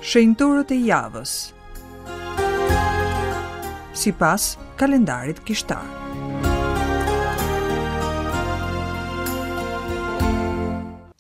Shenjtorët e javës. Sipas kalendarit kishtar.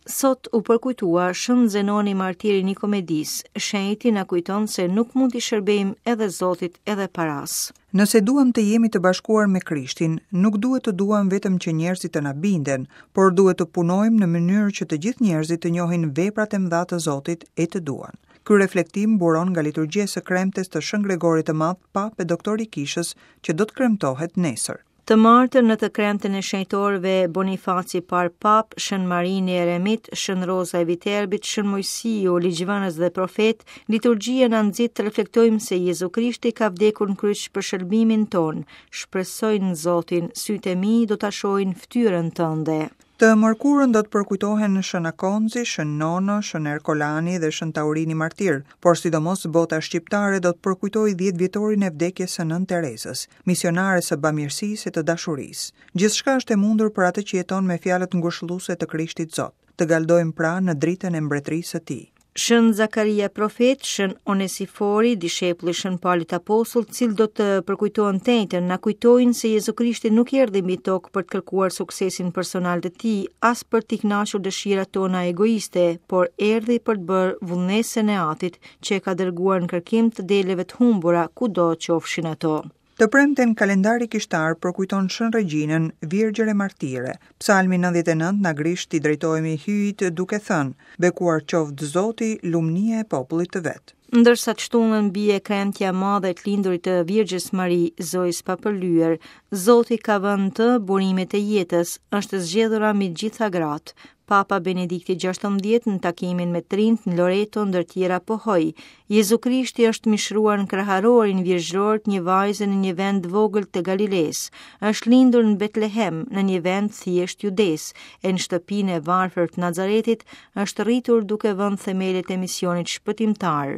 Sot u përkujtua Shën Zenoni martir i Nikomedisë, shenjti na kujton se nuk mund t'i shërbejmë edhe Zotit edhe parasë. Nëse duam të jemi të bashkuar me Krishtin, nuk duhet të duam vetëm që njerëzit të na binden, por duhet të punojmë në mënyrë që të gjithë njerëzit të njohin veprat e mëdha të Zotit e të duan. Ky reflektim buron nga liturgjia e së kremtes të Shën Gregorit të Madh, Papë e Doktor i Kishës, që do të kremtohet nesër. Të martën në të kremten e shenjtorëve Bonifaci i Parë Papë, Shën Marini Eremit, Shën Roza e Viterbit, Shën Moisiu, ligjvënës dhe profet, liturgjia na nxit të reflektojmë se Jezu Krishti ka vdekur në kryq për shëlbimin tonë. Shpresoj në Zotin, sytë e mi do ta shohin fytyrën tënde. Të mërkurën do të përkujtohen Shën Akonzi, Shën Nono, Shën Erkolani dhe Shën Taurini Martir, por sidomos bota shqiptare do të përkujtojë dhjetëvjetorin e vdekjes së Nënë Terezës, misionares së bamirësisë e të dashurisë. Gjithçka është e mundur për atë që jeton me fjalët ngushëlluese të Krishtit Zot. Të galdojmë pra në dritën e mbretërisë së Tij. Shën Zakaria profet, Shën Onesifori, dishepulli i Shën Palit apostull, të cilët do të përkujtohen të enjten, na kujtojnë se Jezu Krishti nuk erdhi mbi tokë për të kërkuar suksesin personal të tij, as për t'i kënaqur dëshirat tona egoiste, por erdhi për të bërë vullnesën e Atit, që e ka dërguar në kërkim të deleve të humbura, kudo qofshin ato. Të premten kalendari kishtar përkujton Shën Regjinën, Virgjër e Martire. Psalmi 99 na grish t'i drejtohemi Hyjit duke thënë, Bekuar qoftë Zoti, lumnia e popullit të vet. Ndërsa të shtunën bie e kremtja e madhe e të lindurit të Virgjës Mari, Zojës së Papërlyer, Zoti ka vënë në të burimet e jetës, është e zgjedhura mbi të gjitha gratë. Papa Benedikti XVI në takimin me të rinjtë në Loreto ndër tjera pohoi, Jezu Krishti është mishëruar në kraharorin virgjëror të një vajze në një vend të vogël të Galilesë, është lindur në Betlehem, në një vend të thjeshtë të Judesë, e në shtëpinë e varfër të Nazaretit është rritur duke vënë themelet e misionit shpëtimtar.